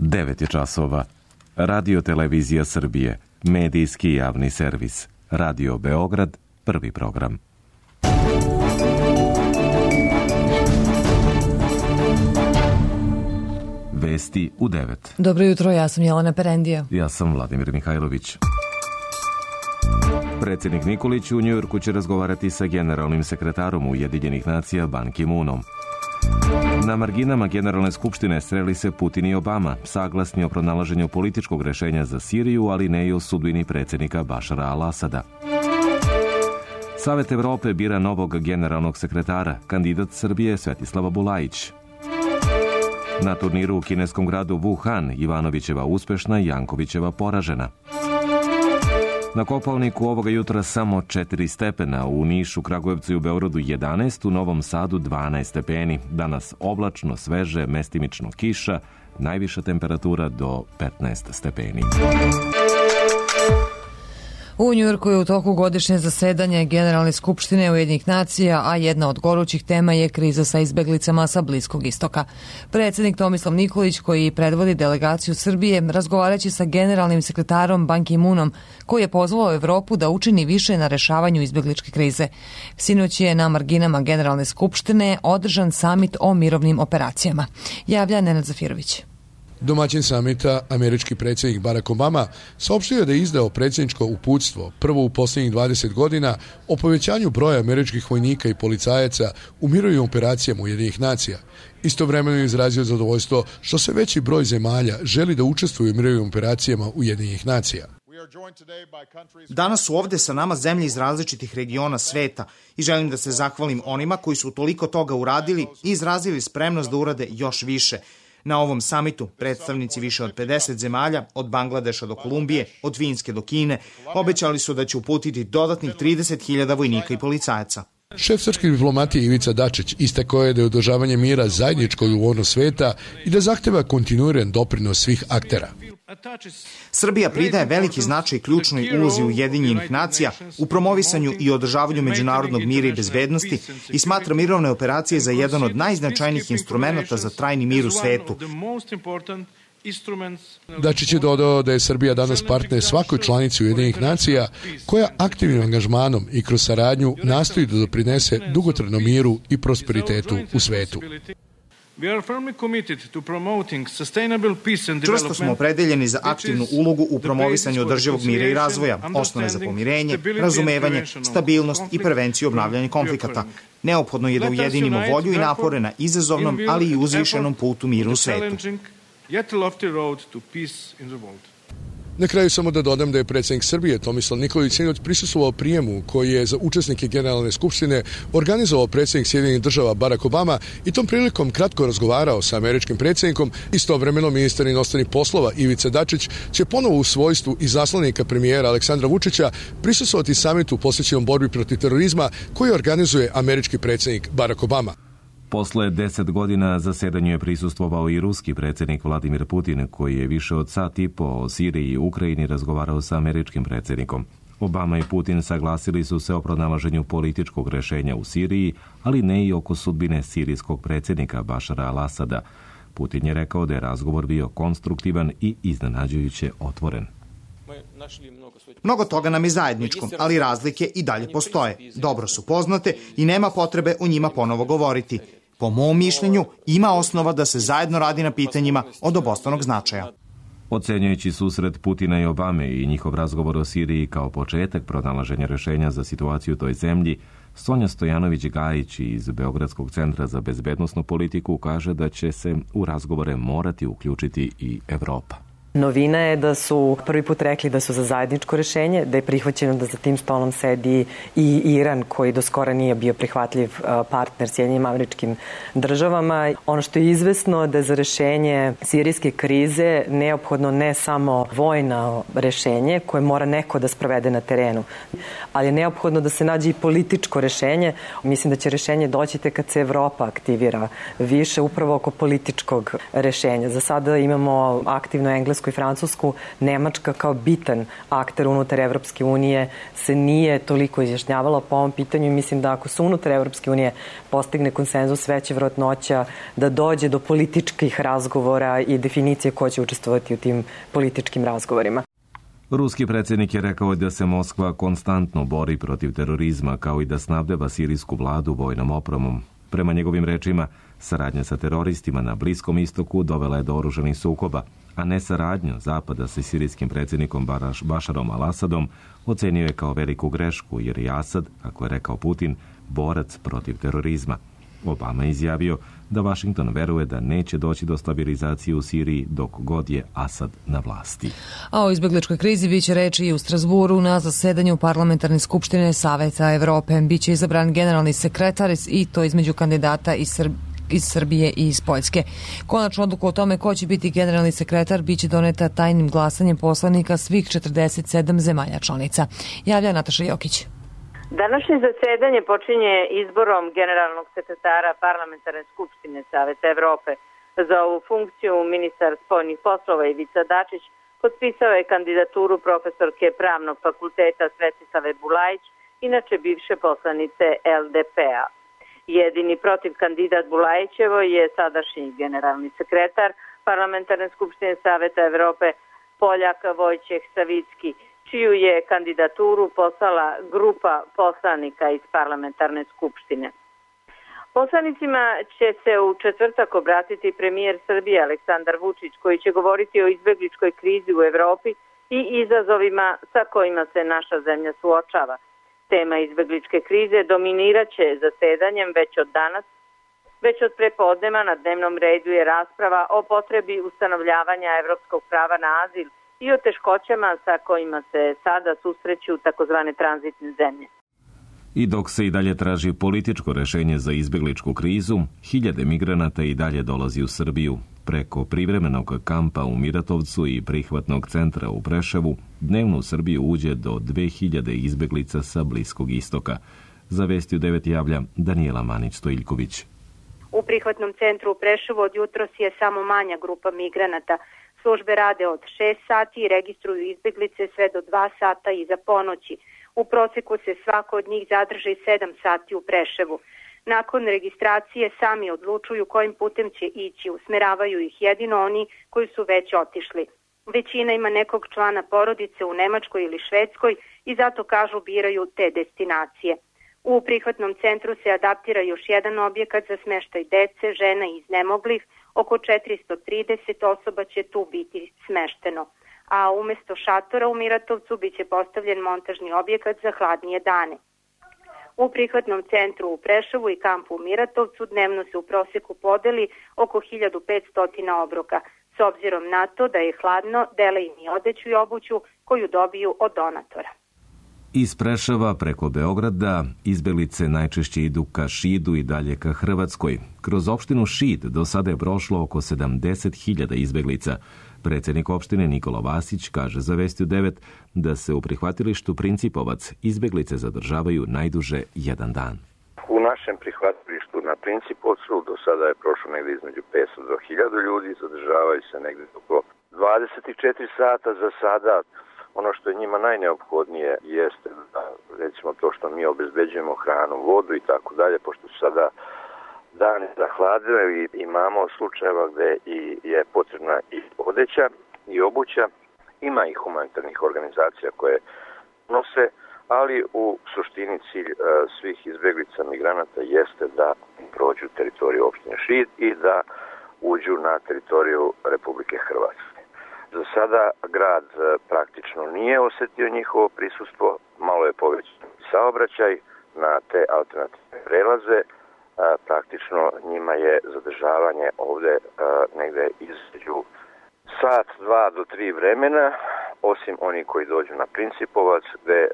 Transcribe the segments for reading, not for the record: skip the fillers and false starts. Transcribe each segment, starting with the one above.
9 je časova. Radio Televizija Srbije, medijski javni servis. Radio Beograd, prvi program. Vesti u 9. Dobro jutro, ja sam Jelena Perendija. Ja sam Vladimir Mihajlović. Predsjednik Nikolić u Njujorku će razgovarati sa generalnim sekretarom Ujedinjenih nacija Ban Ki-moonom. Na marginama Generalne skupštine sreli se Putin i Obama, saglasni o pronalaženju političkog rešenja za Siriju, ali ne i o sudbini predsjednika Bašara al-Asada. Savet Evrope bira novog generalnog sekretara, kandidat Srbije Svetislava Bulajić. Na turniru u kineskom gradu Wuhan Ivanovićeva uspešna, Jankovićeva poražena. Na Kopaoniku ovoga jutra samo 4 stepena, u Nišu, Kragujevcu i u Beogradu 11, u Novom Sadu 12 stepeni. Danas oblačno, sveže, mestimično kiša, najviša temperatura do 15 stepeni. U Njujorku je u toku godišnje zasedanje Generalne skupštine Ujedinjenih nacija, a jedna od gorućih tema je kriza sa izbeglicama sa Bliskog istoka. Predsjednik Tomislav Nikolić, koji predvodi delegaciju Srbije, razgovarajući sa generalnim sekretarom Ban Ki-moonom, koji je pozvao Evropu da učini više na rešavanju izbegličke krize. Sinoć je na marginama Generalne skupštine održan samit o mirovnim operacijama. Javlja Nenad Zafirović. Domaćin samita, američki predsjednik Barack Obama, saopštio je da je izdao predsjedničko uputstvo, prvo u posljednjih 20 godina, o povećanju broja američkih vojnika i policajaca u mirovnim operacijama Ujedinjenih nacija. Istovremeno je izrazio zadovoljstvo što se veći broj zemalja želi da učestvuju u mirovnim operacijama Ujedinjenih nacija. Danas su ovde sa nama zemlje iz različitih regiona sveta i želim da se zahvalim onima koji su toliko toga uradili i izrazili spremnost da urade još više. Na ovom samitu predstavnici više od 50 zemalja, od Bangladeša do Kolumbije, od Finske do Kine, obećali su da će uputiti dodatnih 30.000 vojnika i policajaca. Šef srpske diplomatije Ivica Dačić istakao je da je održavanje mira zajedničko odgovornost sveta i da zahteva kontinuiran doprinos svih aktera. Srbija pridaje veliki značaj ključnoj ulozi Ujedinjenih nacija u promovisanju i održavanju međunarodnog mira i bezbednosti i smatra mirovne operacije za jedan od najznačajnijih instrumenata za trajni mir u svetu. Dačić je dodao da je Srbija danas partner svakoj članici Ujedinjenih nacija koja aktivnim angažmanom i kroz saradnju nastoji da doprinese dugotrajnom miru i prosperitetu u svetu. Čvrsto smo opredeljeni za aktivnu ulogu u promovisanju održivog mira i razvoja, osnove za pomirenje, razumevanje, stabilnost i prevenciju obnavljanja konflikata. Neophodno je da ujedinimo volju i napore na izazovnom, ali i uzvišenom putu miru u svetu. Na kraju samo da dodam da je predsjednik Srbije Tomislav Nikolić sinoć prisustvovao prijemu koji je za učesnike Generalne skupštine organizovao predsjednik Sjedinjenih država Barack Obama i tom prilikom kratko razgovarao sa američkim predsjednikom. Istovremeno ministar inostranih poslova Ivica Dačić će ponovo u svojstvu izaslanika premijera Aleksandra Vučića prisustvovati samitu posvećenom borbi protiv terorizma koji organizuje američki predsjednik Barack Obama. Posle 10 godina zasedanju je prisustvovao i ruski predsjednik Vladimir Putin, koji je više od sat i po o Siriji i Ukrajini razgovarao sa američkim predsjednikom. Obama i Putin saglasili su se o pronalaženju političkog rešenja u Siriji, ali ne i oko sudbine sirijskog predsjednika Bašara al-Asada. Putin je rekao da je razgovor bio konstruktivan i iznenađujuće otvoren. Mnogo toga nam je zajedničko, ali razlike i dalje postoje. Dobro su poznate i nema potrebe o njima ponovo govoriti. Po mom mišljenju, ima osnova da se zajedno radi na pitanjima od obostranog značaja. Ocenjujući susret Putina i Obame i njihov razgovor o Siriji kao početak pronalaženja rešenja za situaciju u toj zemlji, Sonja Stojanović-Gajić iz Beogradskog centra za bezbednosnu politiku kaže da će se u razgovore morati uključiti i Evropa. Novina je da su prvi put rekli da su za zajedničko rešenje, da je prihvaćeno da za tim stolom sedi i Iran, koji do skora nije bio prihvatljiv partner Sjedinjenim Američkim Državama. Ono što je izvesno da je za rešenje sirijske krize neophodno ne samo vojno rešenje koje mora neko da sprovede na terenu, ali je neophodno da se nađe i političko rešenje. Mislim da će rešenje doći tek kad se Evropa aktivira više upravo oko političkog rešenja. Za sada imamo aktivno englesku Englesku i Francusku, Nemačka kao bitan akter unutar Evropske unije se nije toliko izjašnjavala po ovom pitanju i mislim da ako se unutar Evropske unije postigne konsenzus, veća vjerojatnoća da dođe do političkih razgovora i definicije ko će učestvovati u tim političkim razgovorima. Ruski predsjednik je rekao da se Moskva konstantno bori protiv terorizma, kao i da snabdeva sirijsku vladu vojnom opremom. Prema njegovim rečima, saradnja sa teroristima na Bliskom istoku dovela je do oružanih sukoba, a ne saradnju Zapada sa sirijskim predsjednikom Bašarom al-Asadom ocenio je kao veliku grešku, jer je Asad, kako je rekao Putin, borac protiv terorizma. Obama je izjavio da Washington veruje da neće doći do stabilizacije u Siriji dok god je Asad na vlasti. A o izbegličkoj krizi biće reči i u Strasburu na zasedanju Parlamentarne skupštine Saveta Evrope. Biće izabran generalni sekretar i to između kandidata iz Srbije i iz Poljske. Konačnu odluku o tome ko će biti generalni sekretar biće doneta tajnim glasanjem poslanika svih 47 zemalja članica. Javlja Nataša Jokić. Današnje zasedanje počinje izborom generalnog sekretara Parlamentarne skupštine Saveta Evrope. Za ovu funkciju ministar spoljnih poslova Ivica Dačić potpisao je kandidaturu profesorke Pravnog fakulteta Svetislave Bulajić, inače bivše poslanice LDP-a. Jedini protiv kandidat Bulajićevo je sadašnji generalni sekretar Parlamentarne skupštine Saveta Evrope Poljak Vojčeh Savicki, čiju je kandidaturu poslala grupa poslanika iz Parlamentarne skupštine. Poslanicima će se u četvrtak obratiti premijer Srbije Aleksandar Vučić, koji će govoriti o izbegličkoj krizi u Evropi i izazovima sa kojima se naša zemlja suočava. Tema izbegličke krize dominiraće zasedanjem već od danas. Već od prepodneva na dnevnom redu je rasprava o potrebi ustanovljavanja evropskog prava na azil i o teškoćama sa kojima se sada susreću takozvane tranzitne zemlje. I dok se i dalje traži političko rešenje za izbegličku krizu, hiljade migranata i dalje dolazi u Srbiju. Preko privremenog kampa u Miratovcu i prihvatnog centra u Preševu, dnevno u Srbiju uđe do 2000 izbeglica sa Bliskog istoka. Za Vesti u 9 javlja Danijela Manić-Stojiljković. U prihvatnom centru u Preševu od jutros je samo manja grupa migranata. Službe rade od 6 sati i registruju izbeglice sve do 2 sata iza ponoći. U proseku se svako od njih zadrži 7 sati u Preševu. Nakon registracije sami odlučuju kojim putem će ići, usmeravaju ih jedino oni koji su već otišli. Većina ima nekog člana porodice u Nemačkoj ili Švedskoj i zato kažu biraju te destinacije. U prihvatnom centru se adaptira još jedan objekat za smeštaj dece, žena i iznemoglih. Oko 430 osoba će tu biti smešteno. A umesto šatora u Miratovcu biće postavljen montažni objekat za hladnije dane. U prihvatnom centru u Preševu i kampu u Miratovcu dnevno se u proseku podeli oko 1500 obroka. S obzirom na to da je hladno, dele im i odeću i obuću koju dobiju od donatora. Iz Preševa preko Beograda izbeglice najčešće idu ka Šidu i dalje ka Hrvatskoj. Kroz opštinu Šid do sada je prošlo oko 70.000 izbeglica. Predsjednik opštine Nikola Vasić kaže za Vesti u 9 da se u prihvatilištu Principovac izbeglice zadržavaju najduže jedan dan. U našem prihvatilištu na Principovcu do sada je prošlo negdje između 500 do 1000 ljudi, zadržavaju se negdje oko 24 sata za sada. Ono što je njima najneophodnije jeste da, recimo to što mi obezbeđujemo hranu, vodu i tako dalje, pošto su sada dani zahladile i imamo slučajeva gde je potrebna i odeća i obuća. Ima i humanitarnih organizacija koje nose, ali u suštini cilj svih izbeglica migranata jeste da prođu teritoriju opštine Šid i da uđu na teritoriju Republike Hrvatske. Za sada grad praktično nije osetio njihovo prisustvo, malo je povećan saobraćaj na te alternativne prelaze. Praktično njima je zadržavanje ovde negde između sat, 2 do 3 vremena, osim oni koji dođu na Principovac, gde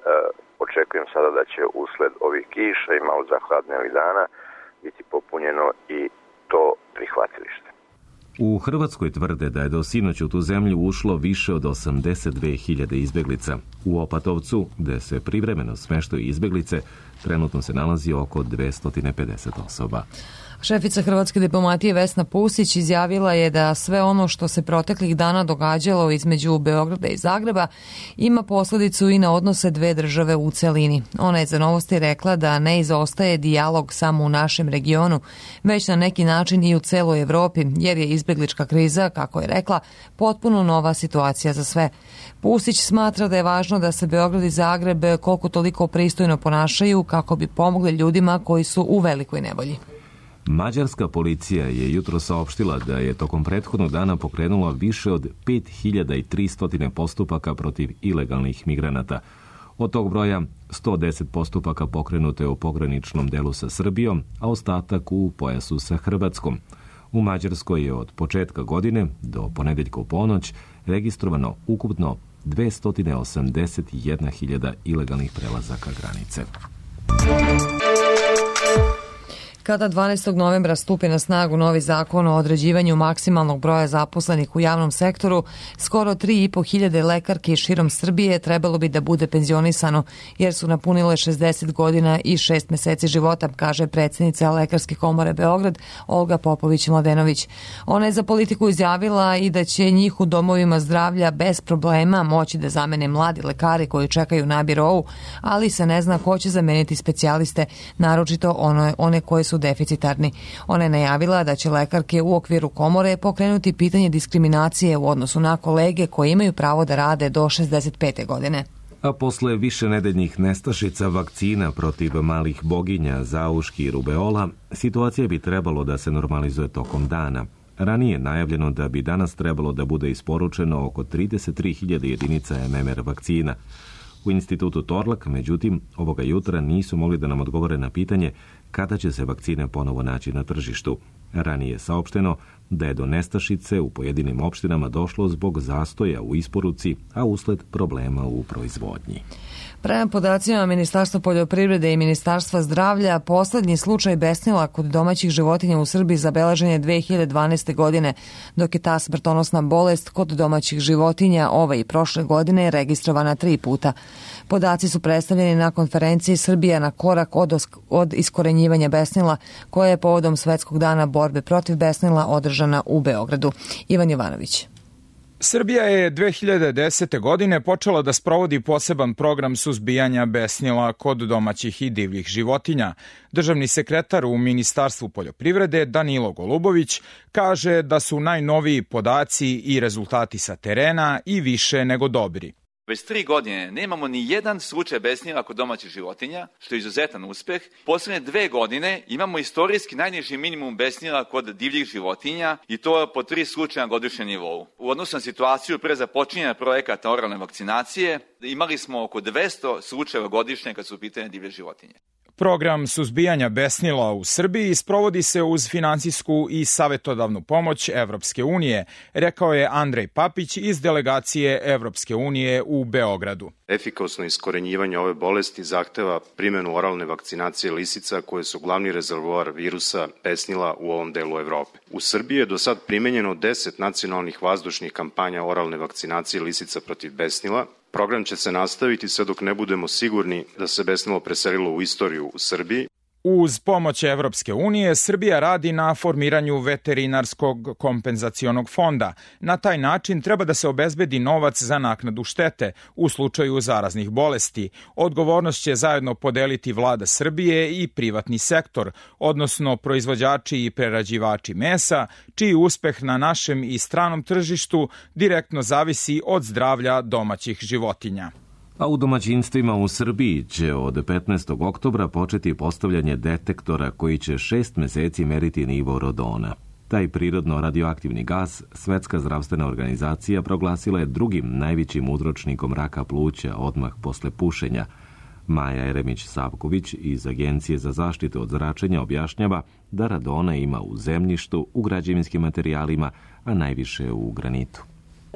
očekujem sada da će usled ovih kiša i malo zahladnijih dana biti popunjeno i to prihvatilište. U Hrvatskoj tvrde da je do sinoć u tu zemlju ušlo više od 82.000 izbeglica. U Opatovcu, gde se privremeno smeštaju izbeglice, trenutno se nalazi oko 250 osoba. Šefica hrvatske diplomatije Vesna Pusić izjavila je da sve ono što se proteklih dana događalo između Beograda i Zagreba ima posledicu i na odnose dve države u celini. Ona je za Novosti rekla da ne izostaje dijalog samo u našem regionu, već na neki način i u celoj Evropi, jer je izbeglička kriza, kako je rekla, potpuno nova situacija za sve. Pusić smatra da je važno da se Beograd i Zagreb koliko toliko pristojno ponašaju kako bi pomogli ljudima koji su u velikoj nevolji. Mađarska policija je jutro saopštila da je tokom prethodnog dana pokrenula više od 5300 postupaka protiv ilegalnih migranata. Od tog broja 110 postupaka pokrenuto je u pograničnom delu sa Srbijom, a ostatak u pojasu sa Hrvatskom. U Mađarskoj je od početka godine do ponedeljka u ponoć registrovano ukupno 281.000 ilegalnih prelazaka granice. Kada 12. novembra stupi na snagu novi zakon o određivanju maksimalnog broja zaposlenih u javnom sektoru, skoro 3.500 lekarki širom Srbije trebalo bi da bude penzionisano, jer su napunile 60 godina i 6 meseci života, kaže predsjednica Lekarske komore Beograd, Olga Popović-Mladenović. Ona je za Politiku izjavila i da će njih u domovima zdravlja bez problema moći da zamene mladi lekari koji čekaju na birou, ali se ne zna ko će zameniti specijaliste, naročito one koje su deficitarni. Ona je najavila da će lekarke u okviru komore pokrenuti pitanje diskriminacije u odnosu na kolege koji imaju pravo da rade do 65. godine. A posle višenedeljnih nestašica vakcina protiv malih boginja, zauški i rubeola, situacija bi trebalo da se normalizuje tokom dana. Ranije je najavljeno da bi danas trebalo da bude isporučeno oko 33.000 jedinica MMR vakcina. U institutu Torlak, međutim, ovoga jutra nisu mogli da nam odgovore na pitanje kada će se vakcine ponovo naći na tržištu. Ranije je saopšteno da je do nestašice u pojedinim opštinama došlo zbog zastoja u isporuci, a usled problema u proizvodnji. Prema podacima Ministarstva poljoprivrede i Ministarstva zdravlja, poslednji slučaj besnila kod domaćih životinja u Srbiji zabeležen je 2012. godine, dok je ta smrtonosna bolest kod domaćih životinja ove i prošle godine registrovana 3 puta. Podaci su predstavljeni na konferenciji Srbija na korak od iskorenjivanja besnila, koja je povodom Svetskog dana borbe protiv besnila održana u Beogradu. Ivan Jovanović. Srbija je 2010. godine počela da sprovodi poseban program suzbijanja besnila kod domaćih i divljih životinja. Državni sekretar u Ministarstvu poljoprivrede Danilo Golubović kaže da su najnoviji podaci i rezultati sa terena i više nego dobri. Već 3 godine nemamo ni jedan slučaj besnila kod domaćih životinja, što je izuzetan uspeh. Poslednje 2 godine imamo istorijski najniži minimum besnila kod divljih životinja i to po 3 slučaja na godišnjem nivou. U odnosu na situaciju pre započinjanja projekata oralne vakcinacije, imali smo oko 200 slučajeva godišnje kad su u pitanju divlje životinje. Program suzbijanja besnila u Srbiji sprovodi se uz finansijsku i savetodavnu pomoć Evropske unije, rekao je Andrej Papić iz delegacije Evropske unije u Beogradu. Efikasno iskorenjivanje ove bolesti zahteva primjenu oralne vakcinacije lisica koje su glavni rezervoar virusa besnila u ovom delu Evrope. U Srbiji je do sad primenjeno 10 nacionalnih vazdušnih kampanja oralne vakcinacije lisica protiv besnila. Program će se nastaviti sve dok ne budemo sigurni da se besnilo preselilo u istoriju u Srbiji. Uz pomoć Evropske unije, Srbija radi na formiranju veterinarskog kompenzacionog fonda. Na taj način treba da se obezbedi novac za naknadu štete u slučaju zaraznih bolesti. Odgovornost će zajedno podeliti vlada Srbije i privatni sektor, odnosno proizvođači i prerađivači mesa, čiji uspeh na našem i stranom tržištu direktno zavisi od zdravlja domaćih životinja. A u domaćinstvima u Srbiji će od 15. oktobra početi postavljanje detektora koji će 6 meseci meriti nivo radona. Taj prirodno radioaktivni gas Svetska zdravstvena organizacija proglasila je drugim najvećim uzročnikom raka pluća odmah posle pušenja. Maja Eremić-Savković iz Agencije za zaštitu od zračenja objašnjava da radona ima u zemljištu, u građevinskim materijalima, a najviše u granitu.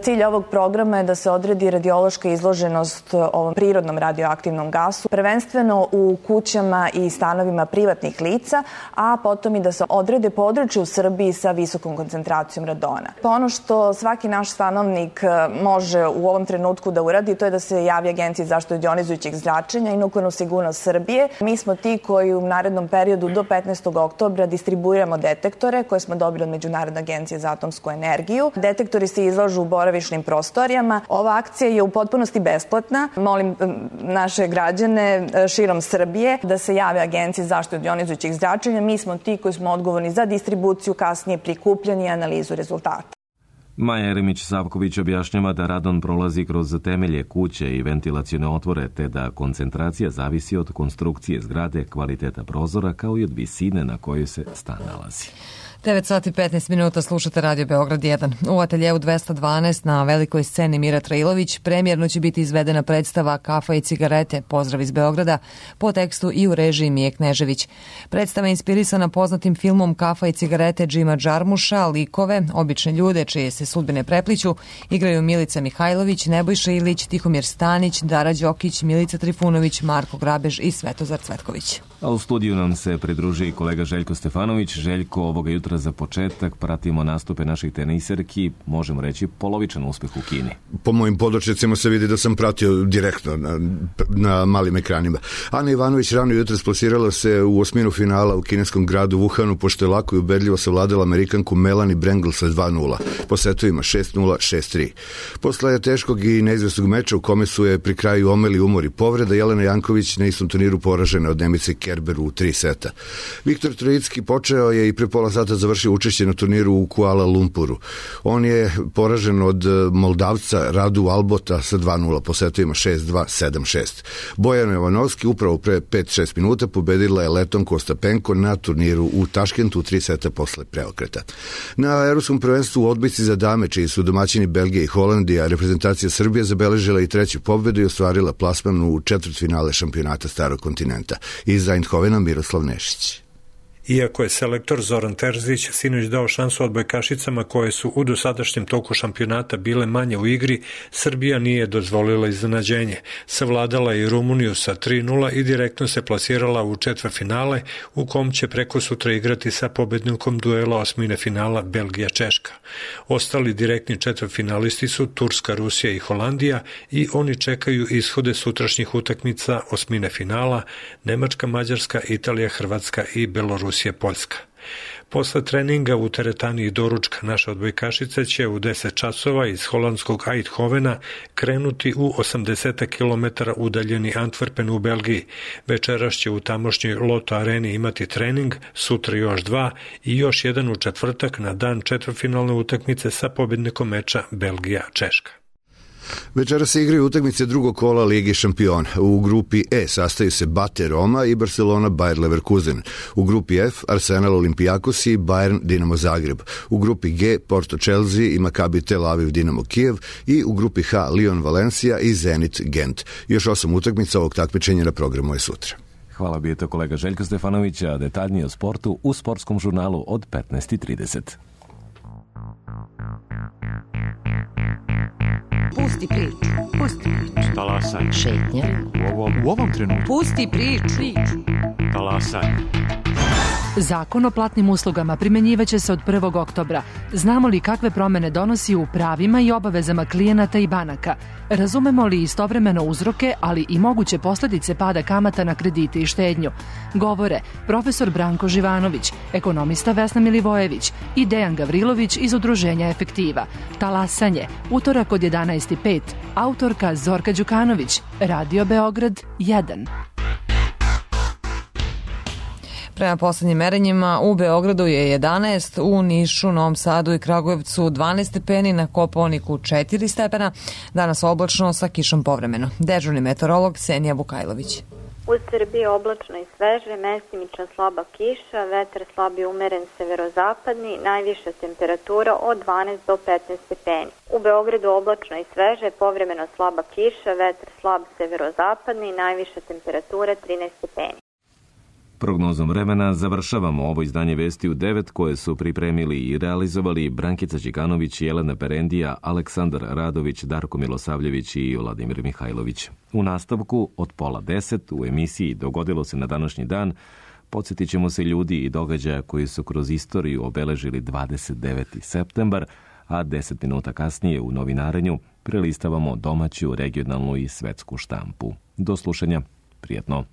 Cilj ovog programa je da se odredi radiološka izloženost ovom prirodnom radioaktivnom gasu, prvenstveno u kućama i stanovima privatnih lica, a potom i da se odrede područje u Srbiji sa visokom koncentracijom radona. Pa ono što svaki naš stanovnik može u ovom trenutku da uradi, to je da se javi Agenciji za zaštitu od jonizujućeg zračenja i Nuklearnu sigurnost Srbije. Mi smo ti koji u narednom periodu do 15. oktobra distribuiramo detektore koje smo dobili od Međunarodne agencije za atomsku energiju. Detektori se izlažu u boravišnim prostorijama. Ova akcija je u potpunosti besplatna. Molim naše građane širom Srbije da se jave Agenciji za zaštitu od jonizujućeg zračenja. Mi smo ti koji smo odgovorni za distribuciju, kasnije prikupljanje i analizu rezultata. Maja Jeremić-Savković objašnjava da radon prolazi kroz temelje kuće i ventilacione otvore, te da koncentracija zavisi od konstrukcije zgrade, kvaliteta prozora, kao i od visine na kojoj se stan nalazi. 9 sati 15 minuta slušate Radio Beograd 1. U ateljeu 212 na velikoj sceni Mira Trailović premijerno će biti izvedena predstava Kafa i cigarete, pozdrav iz Beograda, po tekstu i u režiji Mije Knežević. Predstava je inspirisana poznatim filmom Kafa i cigarete Džima Džarmuša, likove, obične ljude čije se sudbine prepliću, igraju Milica Mihajlović, Nebojša Ilić, Tihomir Stanić, Dara Đokić, Milica Trifunović, Marko Grabež i Svetozar Cvetković. A u studiju nam se pridruži i kolega Željko Stefanović. Željko, ovoga jutra za početak pratimo nastupe naših teniserki, možemo reći polovičan uspeh u Kini. Po mojim podočnicima se vidi da sam pratio direktno na malim ekranima. Ana Ivanović rano jutro splasirala se u osminu finala u kineskom gradu Wuhanu, pošto je lako i ubedljivo savladala Amerikanku Melanie Brengel sa 2-0. Po setovima 6-0, 6-3. Posle teškog i neizvesnog meča u kome su je pri kraju omeli umor i povreda, Jelena Janković na istom turniru poražena od Nemice Kerberu u 3 seta. Viktor Trojicki počeo je i pre pola sata završio učešće na turniru u Kuala Lumpuru. On je poražen od Moldavca Radu Albota sa 2-0 po setovima 6-2, 7-6. Bojana Jovanovski upravo pre 5-6 minuta pobedila je Letonku Ostapenko na turniru u Taškentu u 3 seta posle preokreta. Na Evropskom prvenstvu u odbojci za dame, čiji su domaćini Belgija i Holandija, reprezentacija Srbije zabeležila i treću pobedu i ostvarila plasman u četvrtfinale šampionata Starog kontinenta. Iz Eindhovena Miroslav Nešić. Iako je selektor Zoran Terzić sinoć dao šansu odbojkašicama koje su u dosadašnjem toku šampionata bile manje u igri, Srbija nije dozvolila iznenađenje. Savladala je i Rumuniju sa 3-0 i direktno se plasirala u četvrtfinale, u kom će preko sutra igrati sa pobednikom duela osmine finala Belgija-Češka. Ostali direktni četvrtfinalisti su Turska, Rusija i Holandija i oni čekaju ishode sutrašnjih utakmica osmine finala Nemačka, Mađarska, Italija, Hrvatska i Belorusija, Poljska. Posle treninga u teretani i doručka naša odbojkašica će u 10 časova iz holandskog Eindhovena krenuti u 80 km udaljeni Antwerpen u Belgiji. Večeras će u tamošnjoj Loto areni imati trening, sutra još 2 i još jedan u četvrtak na dan četvrtfinalne utakmice sa pobednikom meča Belgija-Češka. Večera se igraju utakmice drugog kola Lige šampiona. U grupi E sastaju se Bate Roma i Barcelona Bayer Leverkusen. U grupi F Arsenal Olympiakos i Bayern Dinamo Zagreb. U grupi G Porto Chelsea i Maccabi Tel Aviv Dinamo Kijev i u grupi H Lyon Valencia i Zenit Gent. Još 8 utakmica ovog takmičenja na programu je sutra. Hvala bi to kolega Željko Stefanović, a detaljnije o sportu u sportskom žurnalu od 15:30. Pusti priču. Pusti priču. Talasaj. Šetnja. U ovom trenutku. Pusti priču. Talasaj. Zakon o platnim uslugama primenjivaće se od 1. oktobra. Znamo li kakve promene donosi u pravima i obavezama klijenata i banaka? Razumemo li istovremeno uzroke, ali i moguće posledice pada kamata na kredite i štednju? Govore profesor Branko Živanović, ekonomista Vesna Milivojević i Dejan Gavrilović iz Udruženja Efektiva. Talasanje, utorak od 11:05. Autorka Zorka Đukanović, Radio Beograd 1. Prema poslednjim merenjima u Beogradu je 11, u Nišu, Novom Sadu i Kragujevcu 12 stepeni, na Kopaoniku 4 stepena, danas oblačno sa kišom povremeno. Dežurni meteorolog Senija Vukajlović. U Srbiji oblačno i sveže, mestimična slaba kiša, vetar slab i umeren severozapadni, najviša temperatura od 12 do 15 stepeni. U Beogradu oblačno i sveže, povremeno slaba kiša, vetar slab severozapadni, najviša temperatura 13 stepeni. Prognozom vremena završavamo ovo izdanje Vesti u 9 koje su pripremili i realizovali Brankica Đikanović, Jelena Perendija, Aleksandar Radović, Darko Milosavljević i Vladimir Mihajlović. U nastavku od 9:30 u emisiji Dogodilo se na današnji dan podsjetit ćemo se ljudi i događaja koji su kroz istoriju obeležili 29. septembar, a 10 minuta kasnije u novinarenju prelistavamo domaću, regionalnu i svetsku štampu. Do slušanja, prijatno.